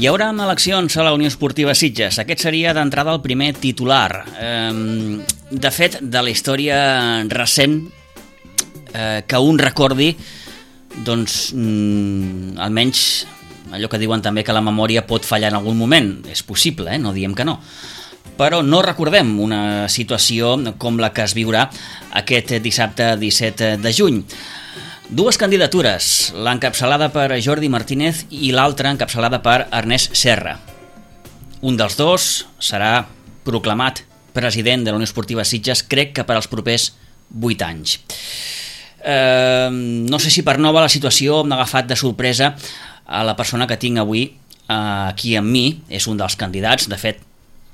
Hi haurà eleccions a la Unió Esportiva Sitges. Aquest seria d'entrada el primer titular. De fet, de la història recent que un recordi, doncs almenys allò que diuen també que la memòria pot fallar en algun moment. És possible, no diem que no. Però no recordem una situació com la que es viurà aquest dissabte 17 de juny. Dues candidatures, l'encapçalada per Jordi Martínez i l'altra encapçalada per Ernest Serra. Un dels dos serà proclamat president de la Unió Esportiva Sitges, crec que per als propers 8 anys. No sé si per nova la situació m'ha agafat de sorpresa a la persona que tinc avui aquí amb mi, és un dels candidats, de fet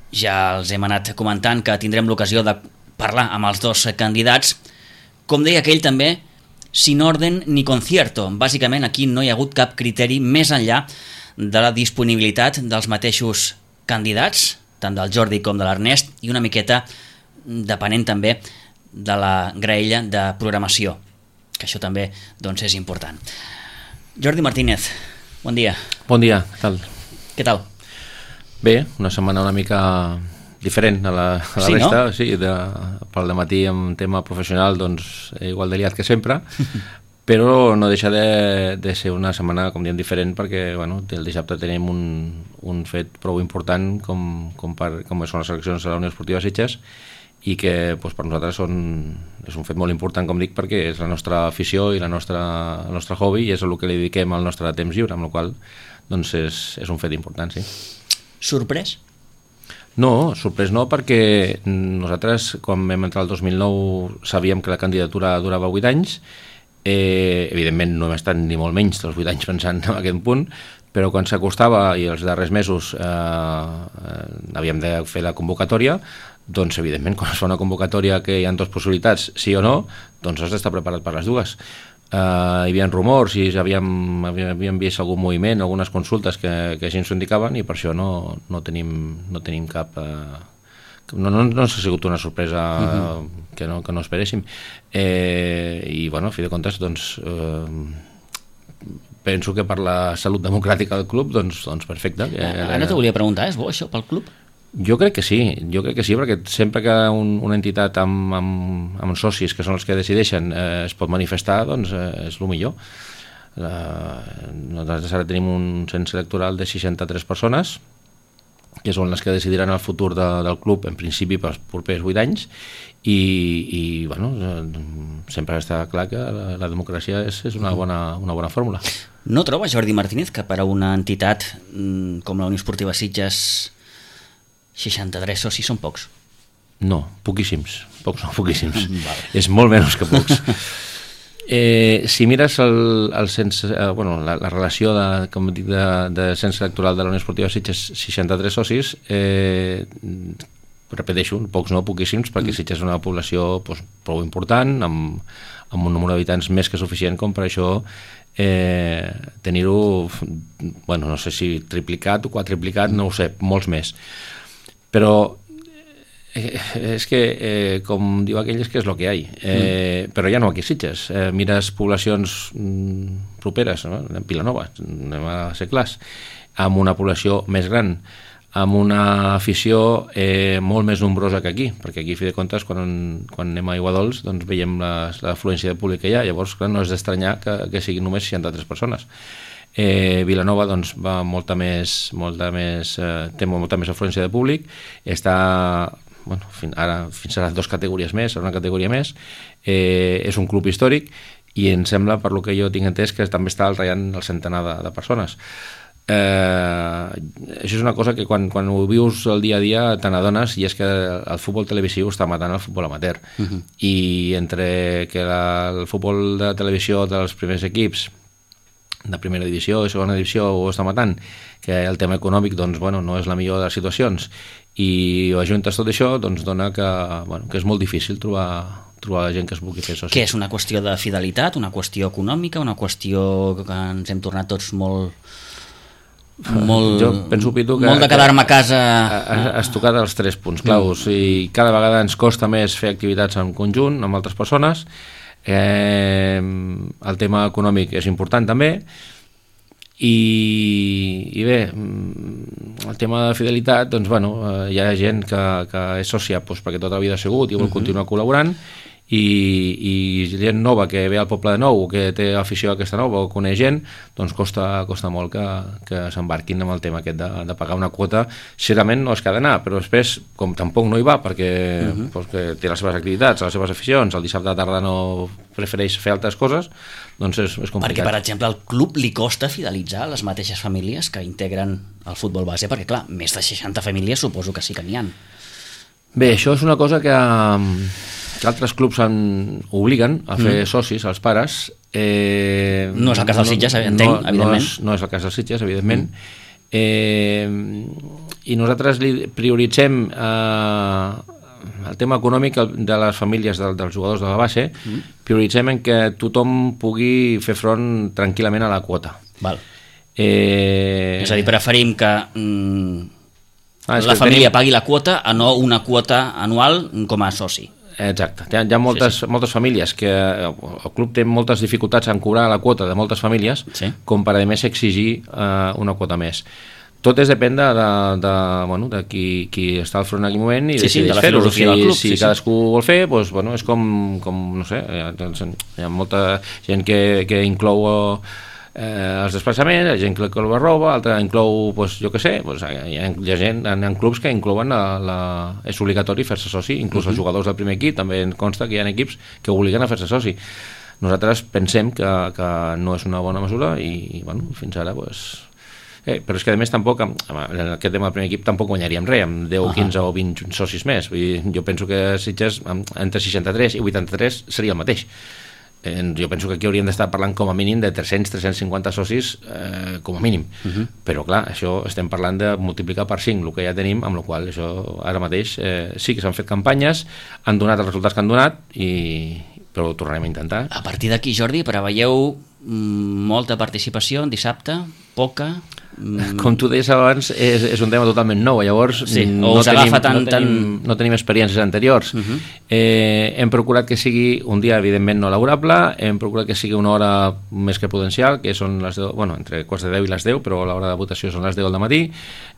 ja els hem anat comentant que tindrem l'ocasió de parlar amb els dos candidats. Com deia aquell també, sin orden ni concierto. Bàsicament aquí no hi ha hagut cap criteri més enllà de la disponibilitat dels mateixos candidats, tant del Jordi com de l'Ernest, i una miqueta depenent també de la graella de programació, que això també doncs, és important. Jordi Martínez, bon dia. Bon dia, què tal? Què tal? Bé, una setmana una mica diferent a la sí, resta, no? Sí, pel dematí amb tema professional, doncs igual de liat que sempre, però no deixa de ser una setmana, com diem, diferent, perquè bueno, el dissabte tenim un fet prou important com són les eleccions a la Unió Esportiva Sitges, i que doncs, per nosaltres és un fet molt important, com dic, perquè és la nostra afició i el nostre hobby, i és el que li dediquem al nostre temps lliure, amb la qual doncs és un fet important, sí. Sorprès? No, sorprès no, perquè nosaltres, quan vam entrar el 2009, sabíem que la candidatura durava 8 anys. Evidentment no hem estat ni molt menys dels 8 anys pensant en aquest punt, però quan s'acostava i els darrers mesos havíem de fer la convocatòria, doncs evidentment quan es fa una convocatòria que hi ha dues possibilitats, sí o no, doncs has d'estar preparat per les dues. Hi havia rumors i havíem vist algun moviment, algunes consultes que així ens ho indicaven, i per això no tenim cap... No ha sigut una sorpresa que no esperéssim. I bueno, a fi de comptes, doncs, penso que per la salut democràtica del club, doncs perfecte. Ara t'ho volia preguntar, és bo això pel club? Jo crec que sí, perquè sempre que una entitat amb socis, que són els que decideixen, es pot manifestar, doncs és el millor. Nosaltres ara tenim un cens electoral de 63 persones, que són les que decidiran el futur del club, en principi pels propers 8 anys, i bueno, sempre està clar que la democràcia és una bona fórmula. No troba Jordi Martínez que per a una entitat com la Unió Esportiva Sitges 63 socis són pocs? No, poquíssims. Poquíssims. És molt menys que pocs. Si mires la relació de cens electoral de la Unió Esportiva Sitges, 63 socis, repeteixo, pocs no, poquíssims, perquè Sitges és una població prou important, amb un número d'habitants més que suficient com per això tenir-ho, no sé si triplicat o quadriplicat, no ho sé, molts més. Però és que, com diu aquell, és que és el que hi ha. Però ja no aquí a Sitges. Mires poblacions properes, no? En Vilanova, anem a ser clars, amb una població més gran, amb una afició molt més nombrosa que aquí, perquè aquí, a fi de comptes, quan anem a Aiguadols, doncs veiem l'afluència de públic que hi ha, llavors clar, no és d'estranyar que siguin només 63 persones. Vilanova doncs va té molta més afluència de públic, està ara fins ara 2 categories més, una categoria més, és un club històric i em sembla, per lo que jo tinc entès, que també està ratllant el centenar de persones. Això és una cosa que quan ho vius el dia a dia te n'adones, i és que el futbol televisiu està matant el futbol amateur, i entre que el futbol de televisió dels primers equips de primera divisió i segona divisió ho està matant, que el tema econòmic doncs, no és la millor de les situacions, i ho ajuntes tot això, doncs dona que és molt difícil trobar gent que es vulgui fer soci. Què és una qüestió de fidelitat, una qüestió econòmica, una qüestió que ens hem tornat tots molt jo penso, Pitu, molt de quedar-me a casa... Has tocat els 3 punts claus, i cada vegada ens costa més fer activitats en conjunt amb altres persones. El tema econòmic és important també, i bé, el tema de fidelitat, doncs bueno, hi ha gent que és sòcia perquè tota la vida ha sigut i vol continuar col·laborant, i gent nova que ve al poble de nou, que té afició a aquesta nova o coneix gent, doncs costa molt que s'embarquin amb el tema aquest de pagar una quota. Sincerament no és que ha d'anar, però després, com tampoc no hi va perquè té les seves activitats, les seves aficions, el dissabte de tarda no prefereix fer altres coses, doncs és complicat. Perquè, per exemple, al club li costa fidelitzar les mateixes famílies que integren el futbol base, perquè clar, més de 60 famílies suposo que sí que n'hi ha. Bé, això és una cosa que altres clubs obliguen a fer socis als pares. No és el cas dels Sitges, entenc, evidentment. No és el cas dels Sitges, evidentment. I nosaltres prioritzem el tema econòmic de les famílies dels jugadors de la base, prioritzem en que tothom pugui fer front tranquil·lament a la quota. Val. És a dir, preferim que la família pagui la quota a no una quota anual com a soci. Exacte, hi ha moltes famílies que el club té moltes dificultats en cobrar la quota de moltes famílies, com per a més exigir una quota més. Tot depèn de qui està al front en aquell moment i decideix fer-ho. Si cadascú vol fer, és com no sé, hi ha molta gent que inclou els desplaçaments, hi ha gent que inclou la roba, altra inclou, jo què sé, hi ha gent, hi ha clubs que inclouen és obligatori fer-se soci, inclús els jugadors del primer equip, també em consta que hi ha equips que obliguen a fer-se soci. Nosaltres pensem que no és una bona mesura i fins ara però és que a més tampoc en aquest tema del primer equip tampoc guanyaríem res amb 10, 15 o 20 socis més. Jo penso que Sitges entre 63 i 83 seria el mateix. Jo penso que aquí hauríem d'estar parlant com a mínim de 300-350 socis com a mínim, però clar, això estem parlant de multiplicar per 5 el que ja tenim, amb la qual això ara mateix sí que s'han fet campanyes, han donat els resultats que han donat, però ho tornarem a intentar. A partir d'aquí, Jordi, preveieu molta participació en dissabte? Poca? Com tu deies abans, és un tema totalment nou, llavors no tenim experiències anteriors. Hem procurat que sigui un dia evidentment no laborable, hem procurat que sigui una hora més que prudencial, que són les 10, entre quarts de 10 i les 10, però l'hora de votació són les 10 del matí.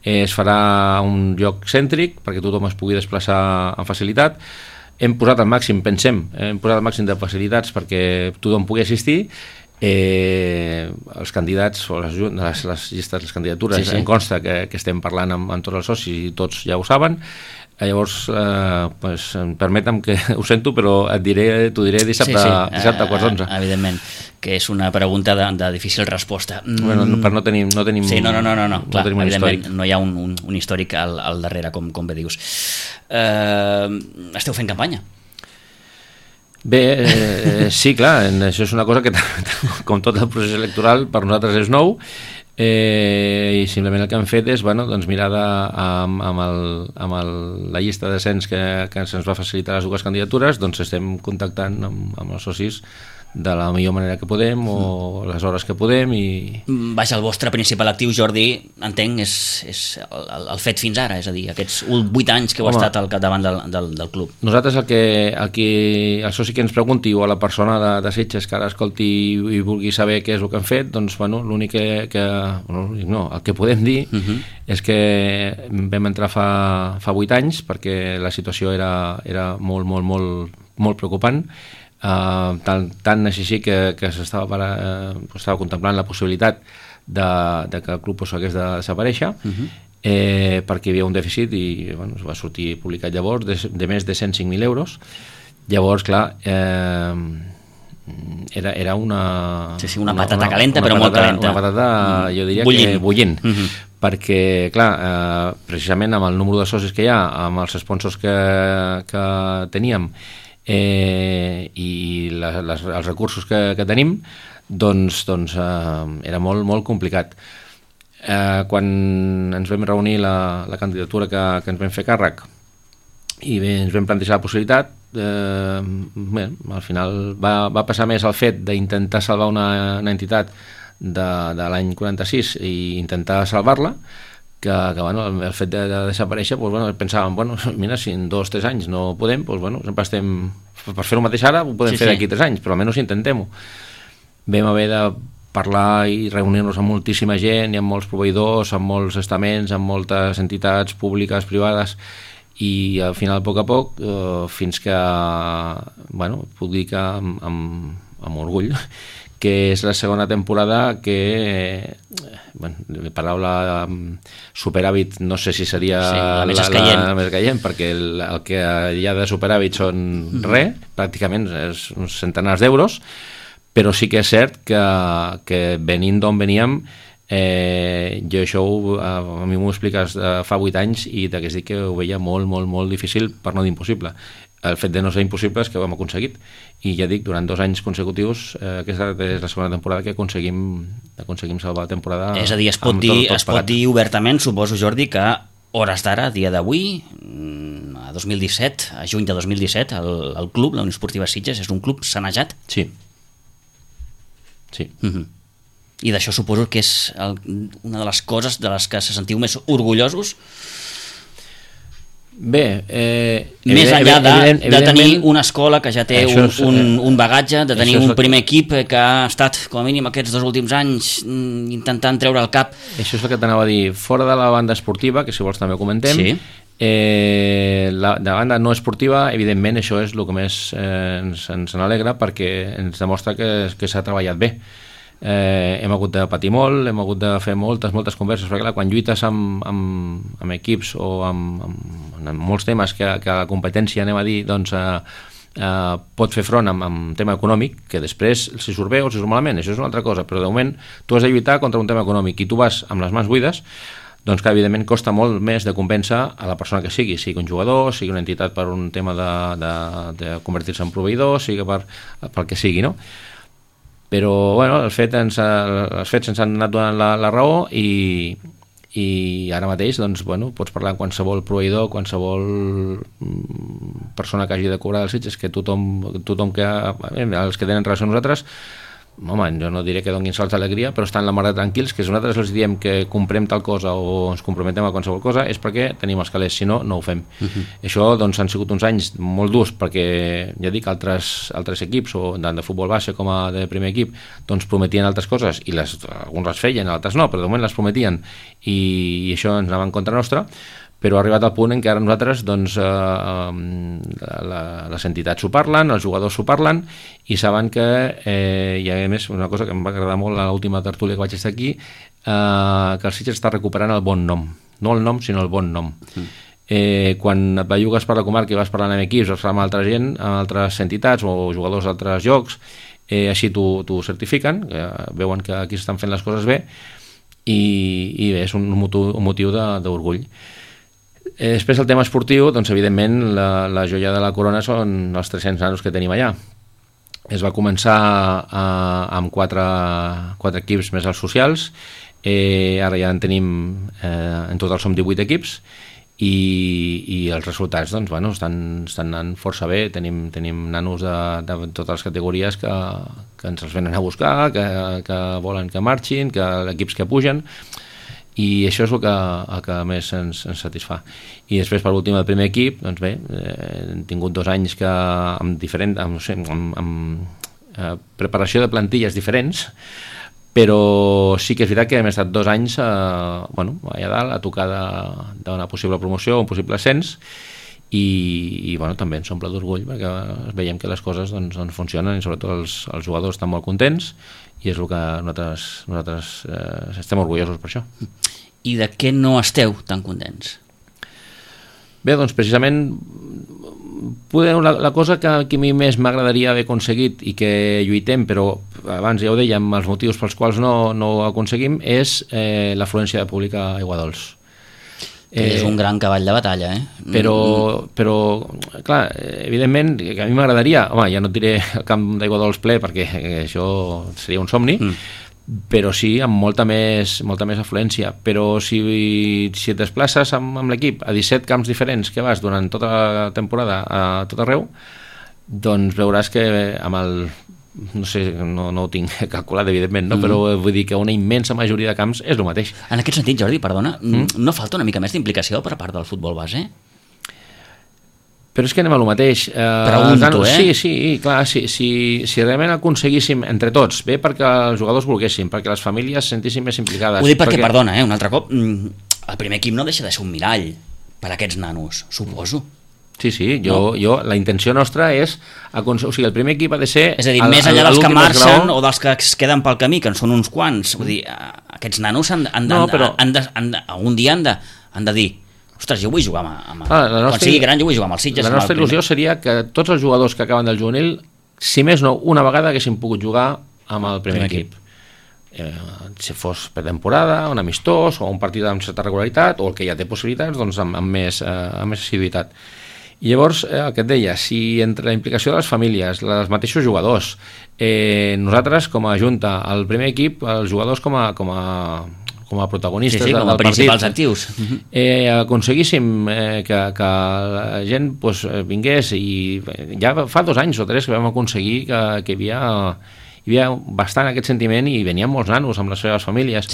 Es farà un lloc cèntric perquè tothom es pugui desplaçar amb facilitat. Hem posat el màxim de facilitats perquè tothom pugui assistir. Els candidats o les llistes, les candidatures, em consta que estem parlant amb tots els socis i tots ja ho saben. Llavors, permetem que ho sento, però t'ho diré dissabte a quarts d'11. Evidentment, que és una pregunta de difícil resposta. Però no tenim sí, no, clar, evidentment no hi ha un històric al darrere, com bé dius. Esteu fent campanya? Bé, sí, clar, això és una cosa que, com tot el procés electoral, per nosaltres és nou, i simplement el que hem fet és mirar amb la llista de cens que se'ns va facilitar les dues candidatures, doncs estem contactant amb els socis de la millor manera que podem o les hores que podem. Vaja, el vostre principal actiu, Jordi, entenc, és el fet fins ara, és a dir, aquests 8 anys que heu estat al capdavant del club. Nosaltres el soci que ens pregunti o a la persona de Sitges que ara escolti i vulgui saber què és el que han fet, doncs l'únic el que podem dir és que vam entrar fa 8 anys perquè la situació era molt preocupant. Tant així que s'estava contemplant la possibilitat de que el club hagués de desaparèixer perquè hi havia un dèficit i es va sortir publicat llavors de més de 105.000 euros. Llavors, clar, era una patata calenta, però molt calenta, una patata, jo diria que bullint, perquè clar, precisament amb el número de socis que hi ha, amb els sponsors que teníem i els recursos que tenim, doncs era molt complicat. Quan ens vam reunir la candidatura que ens vam fer càrrec i ens vam plantejar la possibilitat, al final va passar més el fet d'intentar salvar una entitat de l'any 46 i intentar salvar-la que el fet de desaparèixer, pensàvem, mira, si en 2 o 3 anys no podem, sempre estem per fer-ho mateix ara, ho podem fer d'aquí 3 anys, però almenys intentem-ho. Vam haver de parlar i reunir-nos amb moltíssima gent i amb molts proveïdors, amb molts estaments, amb moltes entitats públiques, privades, i al final, a poc, fins que, puc dir que amb orgull, que és la segona temporada que, la paraula superàvit no sé si seria la més caient, perquè el que hi ha de superàvit són res, pràcticament és uns centenars d'euros, però sí que és cert que venint d'on veníem, jo això a mi m'ho expliques fa 8 anys i t'hagués dit que ho veia molt, molt, molt difícil, per no dir impossible. El fet de no ser impossible és que ho hem aconseguit, i ja dic, durant 2 anys consecutius, aquesta és la segona temporada que aconseguim salvar la temporada. És a dir, es pot dir obertament, suposo, Jordi, que hores d'ara, dia d'avui, a 2017, a juny de 2017, el club, la Unió Esportiva Sitges, és un club sanejat? Sí. I d'això suposo que és una de les coses de les que se sentiu més orgullosos? Bé, més enllà de tenir una escola que ja té un bagatge, de tenir un primer equip que ha estat, com a mínim aquests 2 últims anys, intentant treure el cap. Això és el que t'anava a dir. Fora de la banda esportiva, que si vols també ho comentem, sí. De banda no esportiva, evidentment això és el que més ens alegra, perquè ens demostra que s'ha treballat bé. Hem hagut de patir molt, hem hagut de fer moltes converses, perquè clar, quan lluites amb equips o amb molts temes que la competència, anem a dir, doncs pot fer front amb tema econòmic, que després si surt bé o si surt malament, això és una altra cosa, però de moment tu has de lluitar contra un tema econòmic i tu vas amb les mans buides, doncs que evidentment costa molt més de convèncer a la persona que sigui un jugador, sigui una entitat per un tema de convertir-se en proveïdor, sigui pel que sigui, no? Però els fets ens han anat donant la raó, i ara mateix pots parlar amb qualsevol proveïdor, qualsevol persona que hagi de cobrar dels Sitges, que tothom que els que tenen relació amb nosaltres, home, jo no diré que donin salts d'alegria, però estan la mar de tranquils, que si nosaltres els diem que comprem tal cosa o ens comprometem a qualsevol cosa és perquè tenim els calés, si no, no ho fem. Això han sigut uns anys molt durs, perquè ja dic, altres equips, o tant de futbol base com de primer equip, doncs prometien altres coses, i alguns les feien, altres no, però de moment les prometien, i això ens anava en contra nostra, però ha arribat al punt en què ara nosaltres les entitats s'ho parlen, els jugadors s'ho parlen, i saben que hi ha més una cosa que em va agradar molt a l'última tertúlia que vaig estar aquí, que el Sitges està recuperant el bon nom, no el nom sinó el bon nom. Quan et bellugues per la comarca i vas parlant amb equips, vas parlant amb altra gent, amb altres entitats o jugadors d'altres llocs, així t'ho certifiquen, veuen que aquí s'estan fent les coses bé, i bé, és un motiu d'orgull. Després el tema esportiu, doncs evidentment la joia de la corona són els 300 nanos que tenim allà. Es va començar amb 4 equips més els socials, ara ja en tenim, en total som 18 equips, i els resultats doncs, estan anant força bé. Tenim nanos de totes les categories que ens els venen a buscar, que volen que marxin, que equips que pugen, i això és el que més ens satisfà. I després, per últim, el primer equip, doncs bé, hem tingut 2 anys amb preparació de plantilles diferents, però sí que és veritat que hem estat 2 anys allà dalt a tocar d'una possible promoció, un possible ascens, i també ens omple d'orgull perquè veiem que les coses doncs, funcionen, i sobretot els jugadors estan molt contents, i és el que nosaltres estem orgullosos per això. I de què no esteu tan contents? Bé, doncs precisament la cosa que a mi més m'agradaria haver aconseguit i que lluitem, però abans ja ho dèiem, els motius pels quals no ho aconseguim, és l'afluència de públic a Aiguadols. És un gran cavall de batalla, Però clar, evidentment que a mi m'agradaria, ja no et diré el camp d'Aiguadols ple, perquè això seria un somni, però sí amb molta més afluència. Però si et desplaces amb l'equip a 17 camps diferents que vas durant tota la temporada a tot arreu, doncs veuràs que amb el, no sé, no ho tinc calculat evidentment, però vull dir que una immensa majoria de camps és el mateix. En aquest sentit, Jordi, perdona, no falta una mica més d'implicació per part del futbol base? Però és que anem a lo mateix. Pregunto, Sí, clar, si realment aconseguíssim entre tots, bé perquè els jugadors volguessin, perquè les famílies se sentissin més implicades... Ho dic perquè, perdona, un altre cop, el primer equip no deixa de ser un mirall per a aquests nanos, suposo. Sí, la intenció nostra és... O sigui, el primer equip ha de ser... És a dir, més enllà dels que marxen o dels que es queden pel camí, que en són uns quants, vull dir, aquests nanos algun dia han de dir: ostres, jo vull jugar quan sigui gran jo vull jugar amb el Sitges. La nostra il·lusió seria que tots els jugadors que acaben del juvenil, si més no, una vegada haguessin pogut jugar amb el primer equip. Si fos per temporada, un amistós o un partit amb certa regularitat, o el que ja té possibilitats, doncs amb més assiduïtat. I llavors, el que et deia, si entre la implicació de les famílies, els mateixos jugadors, nosaltres com a junta, el primer equip, els jugadors com a protagonistes com a principals actius, aconseguíssim que la gent vingués, i ja fa 2 anys o 3 que vam aconseguir que hi havia bastant aquest sentiment, i venien molts nanos amb les seves famílies.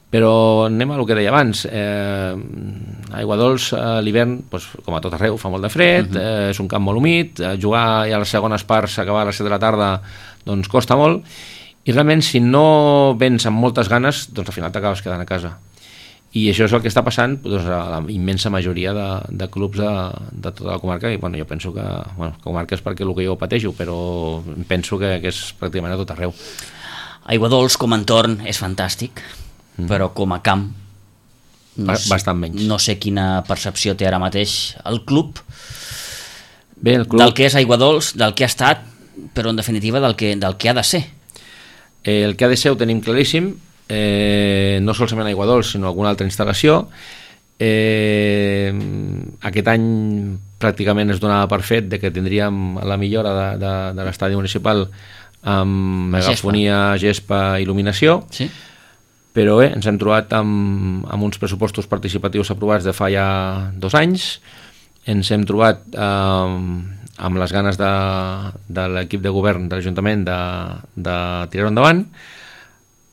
Però anem a el que deia abans, Aigua Dols a l'hivern, com a tot arreu, fa molt de fred, és un camp molt humit, jugar a les segones parts, acabar a les 7 de la tarda, doncs costa molt, i realment si no vens amb moltes ganes, doncs al final t'acabes quedant a casa. I això és el que està passant a la immensa majoria de clubs de tota la comarca, i jo penso que comarca és perquè el que jo pateixo, però penso que és pràcticament a tot arreu. Aigua Dols com a entorn és fantàstic, però com a camp bastant menys. No sé quina percepció té ara mateix el club, el club del que és Aigua Dols, del que ha estat, però en definitiva del que ha de ser. El que ha de ser ho tenim claríssim, no solament Aigua Dols sinó alguna altra instal·lació. Aquest any pràcticament es donava per fet de que tindríem la millora de l'estadi municipal amb megafonia, gespa, il·luminació. Però bé, ens hem trobat amb uns pressupostos participatius aprovats de fa ja 2 anys, ens hem trobat amb les ganes de l'equip de govern de l'Ajuntament de tirar-ho endavant,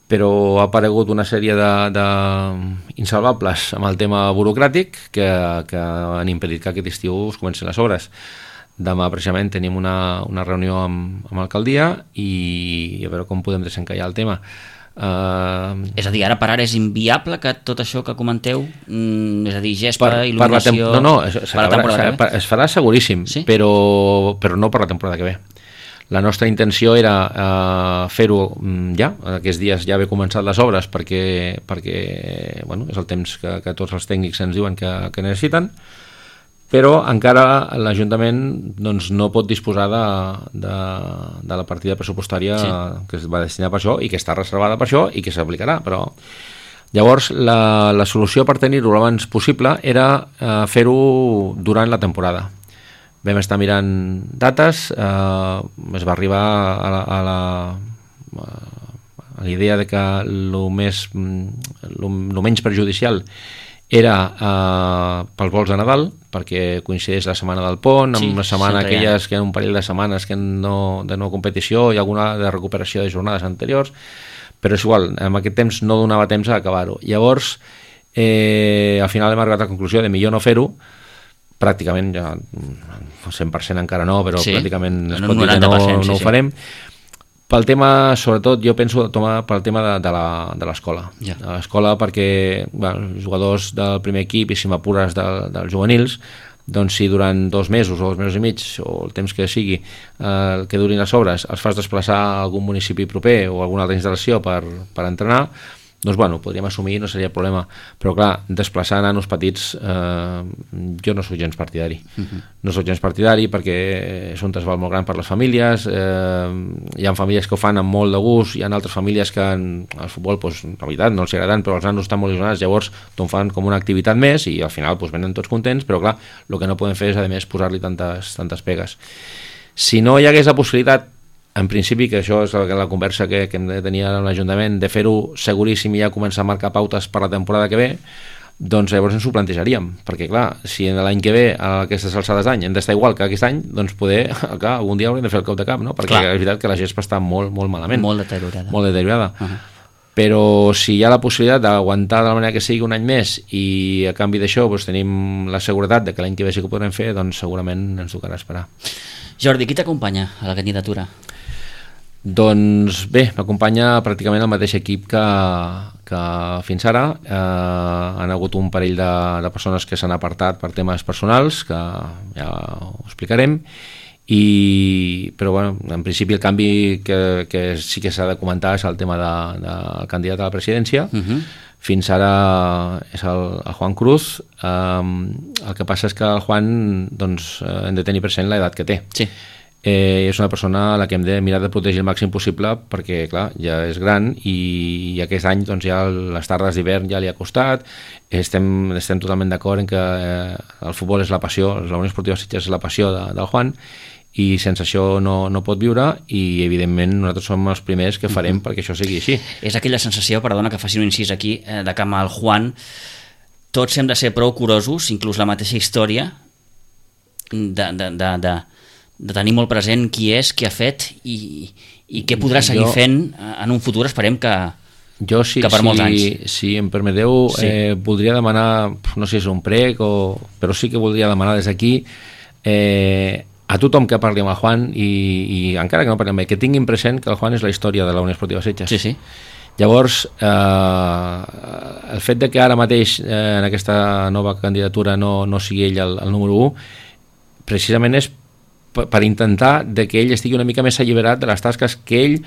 però ha aparegut una sèrie d'insalvables amb el tema burocràtic que han impedit que aquest estiu es comencin les obres. Demà precisament tenim una reunió amb l'alcaldia i a veure com podem desencallar el tema. És a dir, ara per ara és inviable que tot això que comenteu, és a dir, gespa, il·luminació... Es farà seguríssim, però no per la temporada que ve. La nostra intenció era fer-ho ja, aquests dies ja haver començat les obres perquè és el temps que tots els tècnics ens diuen que necessiten, però encara l'Ajuntament no pot disposar de la partida pressupostària que es va destinar per això i que està reservada per això i que s'aplicarà. Però llavors la solució per tenir-ho l'abans possible era fer-ho durant la temporada. Vam estar mirant dates, es va arribar a la idea de que el menys perjudicial era pels vols de Nadal, perquè coincideix la setmana del pont, amb la setmana aquelles que hi ha un parell de setmanes de no competició i alguna de recuperació de jornades anteriors, però és igual, en aquest temps no donava temps a acabar-ho. Llavors, al final hem arribat a la conclusió de millor no fer-ho, pràcticament, ja 100% encara no, però pràcticament es pot dir que no ho farem. Pel tema, sobretot, jo penso pel tema de l'escola. De l'escola perquè els jugadors del primer equip, i si m'apures dels juvenils, doncs si durant 2 mesos o 2 mesos i mig, o el temps que sigui, que durin les obres, els fas desplaçar a algun municipi proper o a alguna altra instal·lació per entrenar, doncs podríem assumir, no seria problema. Però clar, desplaçar nanos petits, jo no soc gens partidari. No soc gens partidari perquè és un trasbal molt gran per les famílies, hi ha famílies que ho fan amb molt de gust, hi ha altres famílies que el futbol, la veritat, no els agraden, però els nanos estan molt il·lusionats, llavors t'ho fan com una activitat més i al final venen tots contents, però clar, el que no podem fer és a més posar-li tantes pegues. Si no hi hagués la possibilitat, en principi, que això és la conversa que hem de tenir amb l'Ajuntament, de fer-ho seguríssim i ja començar a marcar pautes per la temporada que ve, doncs llavors ens ho plantejaríem, perquè clar, si l'any que ve a aquestes alçades d'any hem d'estar igual que aquest any, doncs algun dia haurem de fer el cop de cap, no? Perquè és veritat que la gespa està molt malament. Molt deteriorada. Molt deteriorada. però si hi ha la possibilitat d'aguantar de la manera que sigui un any més i a canvi d'això doncs, tenim la seguretat de que l'any que ve sí que ho podrem fer, doncs segurament ens tocarà esperar. Jordi, qui t'acompanya a la candidatura? Doncs bé, m'acompanya pràcticament el mateix equip que fins ara. Han hagut un parell de persones que s'han apartat per temes personals, que ja ho explicarem, però bueno, en principi el canvi que sí que s'ha de comentar és el tema del candidat a la presidència. Fins ara és el Juan Cruz. El que passa és que el Juan doncs, hem de tenir present l'edat que té. Sí. És una persona a la que hem de mirar de protegir el màxim possible perquè clar, ja és gran i aquest any doncs, ja les tardes d'hivern ja li ha costat. Estem totalment d'acord en que el futbol és la passió, la Unió Esportiva Sitges és la passió del Juan, i sense això no pot viure, i evidentment nosaltres som els primers que farem perquè això sigui així. És aquella sensació, perdona que faci un incís aquí, de que amb el Juan tots hem de ser prou curosos, inclús la mateixa història, de tenir molt present qui és, qui ha fet i què podrà seguir fent en un futur, esperem que per molts anys. Si em permeteu, voldria demanar, no sé si és un prec, però sí que voldria demanar des d'aquí a tothom que parli amb el Juan i encara que no parli amb ell, que tinguin present que el Juan és la història de la Unió Esportiva Sitges. Sí. Llavors, el fet de que ara mateix en aquesta nova candidatura no sigui ell el número 1, precisament és per intentar de que ell estigui una mica més alliberat de les tasques que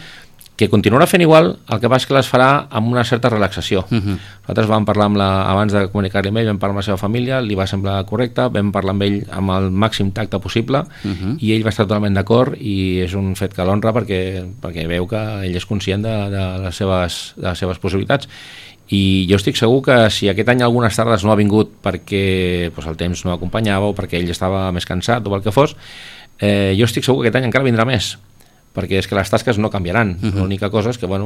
continuarà fent igual, el que passa és que les farà amb una certa relaxació. Nosaltres vam parlar abans de comunicar-li amb ell, vam parlar amb la seva família, li va semblar correcte, vam parlar amb ell amb el màxim tacte possible i ell va estar totalment d'acord, i és un fet que l'honra perquè veu que ell és conscient de les seves possibilitats. I jo estic segur que si aquest any algunes tardes no ha vingut perquè el temps no acompanyava o perquè ell estava més cansat o el que fos, jo estic segur que aquest any encara vindrà més, perquè és que les tasques no canviaran. L'única cosa és que a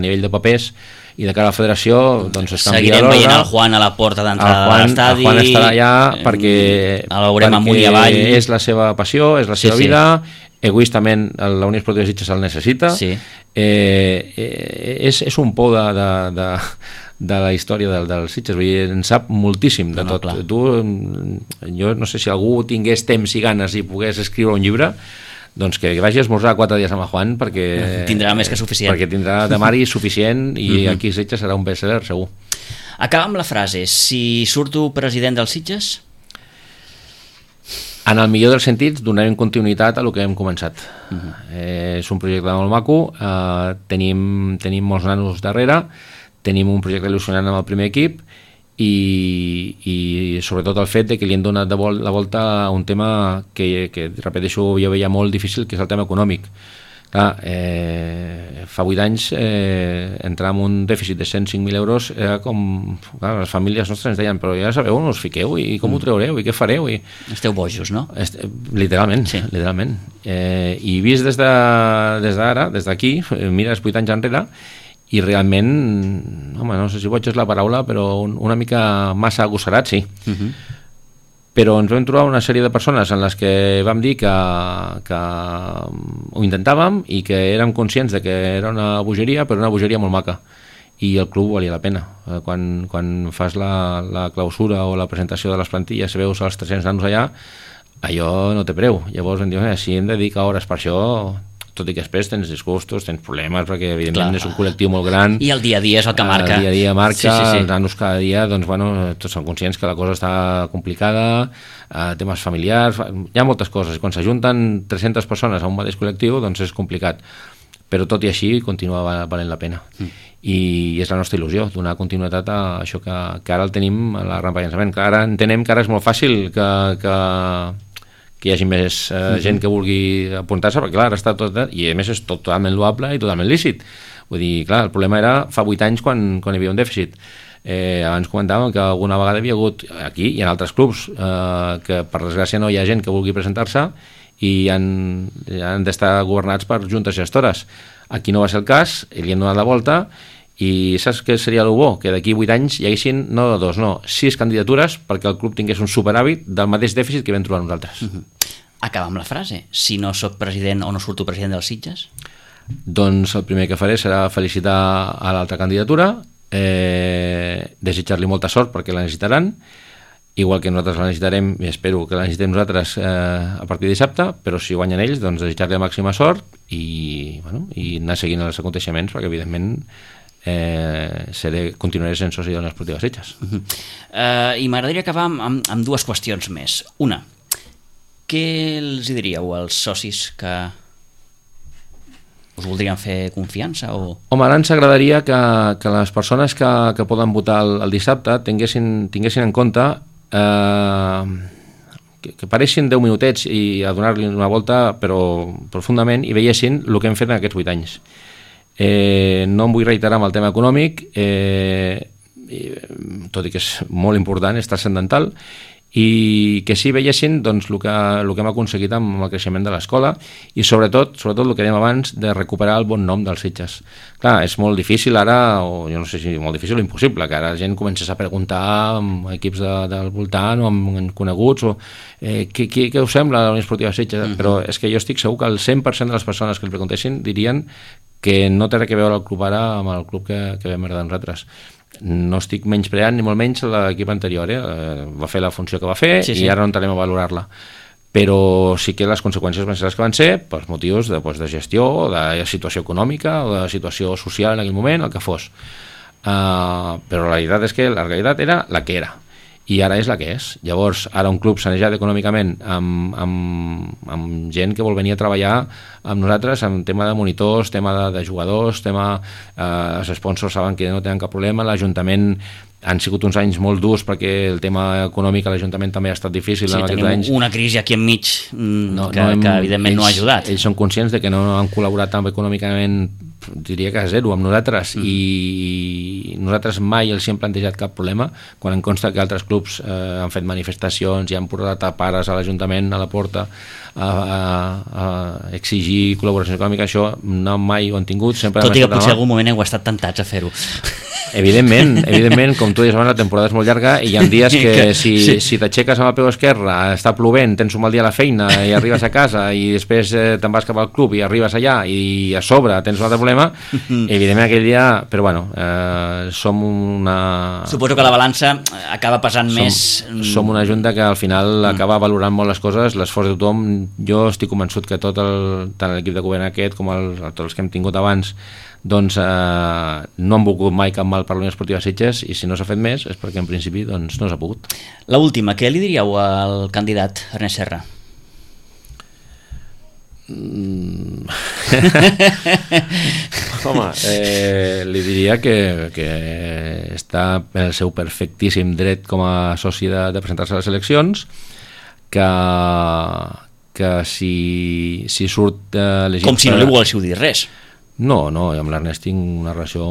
nivell de papers i de cara a la federació doncs es canvia l'ordre. Seguirem veient el Juan a la porta d'entrada de l'estadi. El Juan estarà allà perquè el veurem amunt i avall. És la seva passió, és la seva vida. Egoístament la Unió Esportiva Sitges el necessita. És un pou de la història del Sitges, vull dir, en sap moltíssim de tot. Jo no sé si algú tingués temps i ganes i pogués escriure un llibre, doncs que vagi a esmorzar 4 dies amb el Juan, perquè tindrà més que suficient, perquè tindrà de mari suficient i aquí a Sitges serà un best-seller segur. Acaba amb la frase: si surto president dels Sitges? En el millor dels sentits donarem continuïtat a el que hem començat. És un projecte molt maco, tenim molts nanos darrere, tenim un projecte il·lusionant amb el primer equip i sobretot el fet de que li hem donat la volta a un tema que repeteixo, jo veia molt difícil, que és el tema econòmic. Clar, fa 8 anys entrar en un dèficit de 105.000 euros era com... Clar, les famílies nostres ens deien, però ja sabeu on us fiqueu i com ho treureu i què fareu? Esteu bojos, no? Literalment, literalment. I vist des d'ara, des d'aquí, mires 8 anys enrere, i realment, home, no sé si boig és la paraula, però una mica massa agossarat, sí. Però ens vam trobar una sèrie de persones en les que vam dir que ho intentàvem i que érem conscients de que era una bogeria, però una bogeria molt maca, i el club valia la pena. Quan fas la clausura o la presentació de les plantilles, veus els 300 nanos allà, allò no té preu. Llavors vam dir, si hem de dedicar hores per això, tot i que després tens disgustos, tens problemes, perquè evidentment és un col·lectiu molt gran. I el dia a dia és el que marca. El dia a dia marca, els nanos cada dia, doncs bueno, tots són conscients que la cosa està complicada, temes familiars, hi ha moltes coses. Quan s'ajunten 300 persones a un mateix col·lectiu, doncs és complicat. Però tot i així continua valent la pena. I és la nostra il·lusió, donar continuïtat a això que ara el tenim a la rampa de llançament. Ara entenem que ara és molt fàcil que hi hagi més gent que vulgui apuntar-se, perquè clar, ara està tot, i a més és totalment loable i totalment lícit. Vull dir, clar, el problema era fa 8 anys quan hi havia un dèficit. Abans comentàvem que alguna vegada havia hagut aquí i en altres clubs que per desgràcia no hi ha gent que vulgui presentar-se i han d'estar governats per juntes gestores. Aquí no va ser el cas, li hem donat la volta. I saps què seria el bo? Que d'aquí 8 anys hi haguessin no 2, no 6 candidatures perquè el club tingués un superàvit del mateix dèficit que vam trobar nosaltres. Acaba amb la frase: si no sóc president o no surto president dels Sitges? Doncs el primer que faré serà felicitar a l'altra candidatura, desitjar-li molta sort perquè la necessitaran, igual que nosaltres la necessitarem i espero que la necessitem nosaltres a partir de dissabte, però si guanyen ells, doncs desitjar-li la màxima sort i anar seguint els aconteixements, perquè evidentment continuaré sent soci de l'Unió Esportiva Sitges. I m'agradaria acabar amb dues qüestions més. Una, què els diríeu als socis que us voldrien fer confiança? Home, ara ens agradaria que les persones que poden votar el dissabte tinguessin en compte que pareixin 10 minutets i a donar-li una volta però profundament i veiessin el que hem fet en aquests 8 anys. No em vull reiterar amb el tema econòmic, tot i que és molt important, és transcendental, i que sí veiessin doncs, el que hem aconseguit amb el creixement de l'escola i sobretot el que dèiem abans de recuperar el bon nom dels Sitges. Clar, és molt difícil ara, o jo no sé si molt difícil o impossible, que ara la gent comencés a preguntar amb equips del voltant o amb coneguts o què us sembla la Unió Esportiva Sitges, però és que jo estic segur que el 100% de les persones que el preguntessin dirien que no té res a veure el club ara amb el club que vam heredar nosaltres. No estic menyspreant ni molt menys l'equip anterior, va fer la funció que va fer i ara no entrarem a valorar-la, però sí que les conseqüències van ser les que van ser per motius de gestió, de situació econòmica o de situació social en aquell moment, el que fos, però la realitat és que la realitat era la que era i ara és la que és. Llavors ara un club sanejat econòmicament amb gent que vol venir a treballar amb nosaltres en tema de monitors, tema de jugadors, els sponsors saben que no tenen cap problema, l'Ajuntament han sigut uns anys molt durs perquè el tema econòmic a l'Ajuntament també ha estat difícil en aquests anys. Una crisi aquí enmig que evidentment no ha ajudat. Ells són conscients de que no han col·laborat tan econòmicament, diria que a zero amb nosaltres, i nosaltres mai els hem plantejat cap problema, quan em consta que altres clubs han fet manifestacions i han portat a pares a l'Ajuntament a la porta a exigir col·laboració econòmica. Això no mai ho han tingut, sempre. Tot i que potser en algun moment heu estat tentats a fer-ho. Evidentment, com tu deies abans, la temporada és molt llarga i hi ha dies que si t'aixeques amb el peu esquerre, està plovent, tens un mal dia a la feina i arribes a casa i després te'n vas cap al club i arribes allà i a sobre tens un altre problema, evidentment aquell dia, però bueno, som una... Suposo que la balança acaba pesant més... Som una junta que al final acaba valorant molt les coses, l'esforç de tothom. Jo estic convençut que tant l'equip de govern aquest com tots els que hem tingut abans doncs no han volgut mai cap mal per la Unió Esportiva Sitges, i si no s'ha fet més és perquè en principi doncs, no s'ha pogut. La última, què li diríeu al candidat Ernest Serra? Home, li diria que està en el seu perfectíssim dret com a soci de presentar-se a les eleccions, que si surt elegit... Com si no li volguéssiu dir res. No, amb l'Ernest tinc una relació,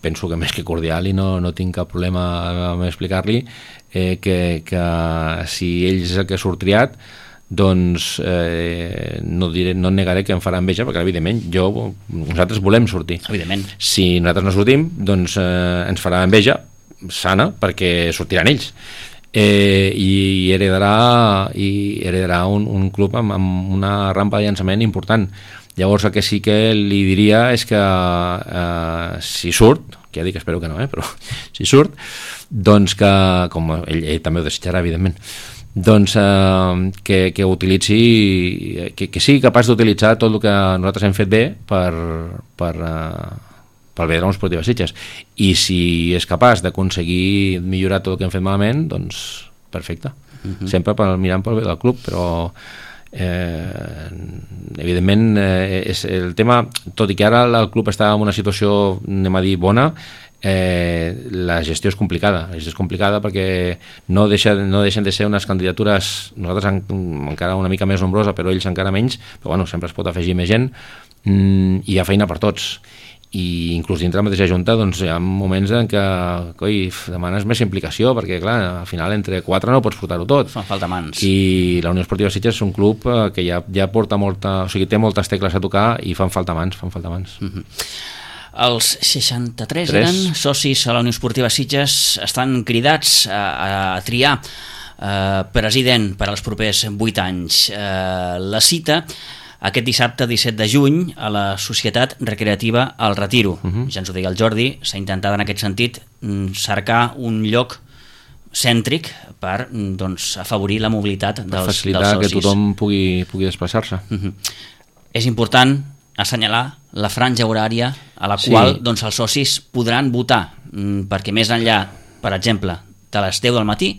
penso que més que cordial, i no tinc cap problema a explicar-li que si ell és el que surt triat, doncs no negaré que em farà enveja, perquè evidentment nosaltres volem sortir. Evidentment. Si nosaltres no sortim, doncs ens farà enveja sana, perquè sortiran ells. I heredarà un club amb una rampa de llançament important. Llavors el que sí que li diria és que si surt, que ja dic que espero que no, però si surt, doncs que, com ell també ho desitjarà evidentment, doncs que utilitzi, que sigui capaç d'utilitzar tot el que nosaltres hem fet bé per bé de la Unió Esportiva Sitges, i si és capaç d'aconseguir millorar tot el que hem fet malament, doncs perfecte, sempre mirant pel bé del club, però evidentment és el tema, tot i que ara el club està en una situació, anem a dir, bona, la gestió és complicada. Perquè no deixen de ser unes candidatures, nosaltres encara una mica més nombrosa, però ells encara menys, però bueno, sempre es pot afegir més gent, i hi ha feina per tots, i inclús dintre la mateixa junta doncs hi ha moments en què demanes més implicació, perquè clar, al final entre 4 no pots portar-ho tot. Fan falta mans. I la Unió Esportiva Sitges és un club que ja porta té moltes tecles a tocar i fan falta mans. Els 63 eren socis a la Unió Esportiva Sitges, estan cridats a triar president per als propers 8 anys. La cita aquest dissabte 17 de juny a la Societat Recreativa El Retiro. Ja ens ho deia el Jordi, s'ha intentat en aquest sentit cercar un lloc cèntric per afavorir la mobilitat dels socis. Per facilitar que tothom pugui desplaçar-se. És important assenyalar la franja horària a la qual els socis podran votar, perquè més enllà, per exemple, de les 10 del matí,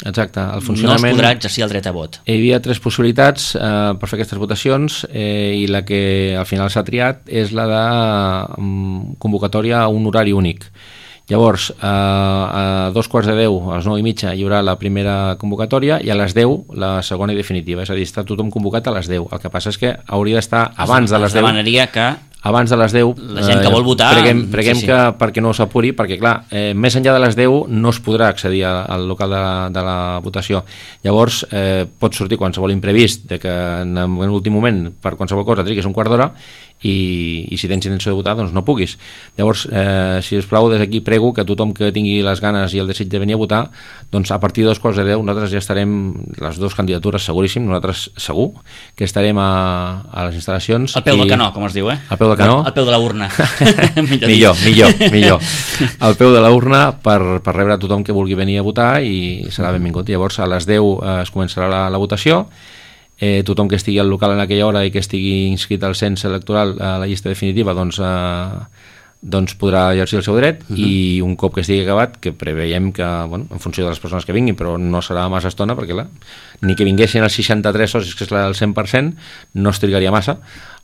exacte, el funcionament... no es podrà exercir el dret a vot. Hi havia 3 possibilitats per fer aquestes votacions i la que al final s'ha triat és la de convocatòria a un horari únic. Llavors, a 2:15, a les 9:30 hi haurà la primera convocatòria i a les 10 la segona i definitiva, és a dir, està tothom convocat a les 10. El que passa és que hauria d'estar abans de les 10. Es demanaria que abans de les 10 la gent que vol votar preguem que perquè no s'apuri, perquè clar, més enllà de les 10 no es podrà accedir al local de la votació. Llavors pot sortir qualsevol imprevist de que en l'últim moment per qualsevol cosa triguis un quart d'hora i si tens intenció de votar doncs no puguis. Llavors, si us plau, des d'aquí prego que tothom que tingui les ganes i el desig de venir a votar, doncs a partir de 2:10 nosaltres ja estarem, les dues candidatures seguríssim, nosaltres segur que estarem a les instal·lacions. Al peu del canó, com es diu, Al peu del canó? Al peu de la urna. millor. Al peu de la urna per rebre a tothom que vulgui venir a votar i serà benvingut. Llavors a les 10 es començarà la votació. Tothom que estigui al local en aquella hora i que estigui inscrit al cens electoral a la llista definitiva doncs podrà exercir el seu dret i un cop que estigui acabat, que preveiem que, en funció de les persones que vinguin, però no serà massa estona perquè clar, ni que vinguessin els 63 socis, que és el 100%, no es trigaria massa,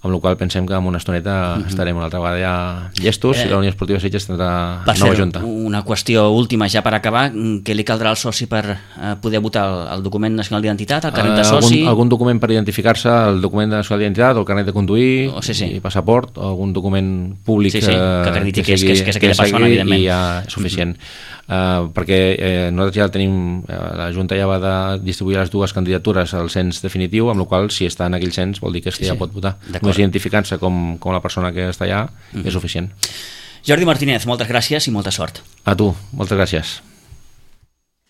amb la qual pensem que en una estoneta estarem una altra vegada ja llestos i la Unió Esportiva Sitges tindrà nova junta. Una qüestió última ja per acabar, què li caldrà al soci per poder votar? El document nacional d'identitat, el carnet de soci? Algun document per identificar-se, el document nacional d'identitat, el carnet de conduir, i passaport, o algun document públic que acrediti que és aquella persona, evidentment. I ja és suficient. Perquè nosaltres ja tenim, la Junta ja va de distribuir les dues candidatures al cens definitiu, amb la qual si està en aquell cens vol dir que ja pot votar. Només identificant-se com la persona que està allà és suficient. Jordi Martínez, moltes gràcies i molta sort. A tu, moltes gràcies.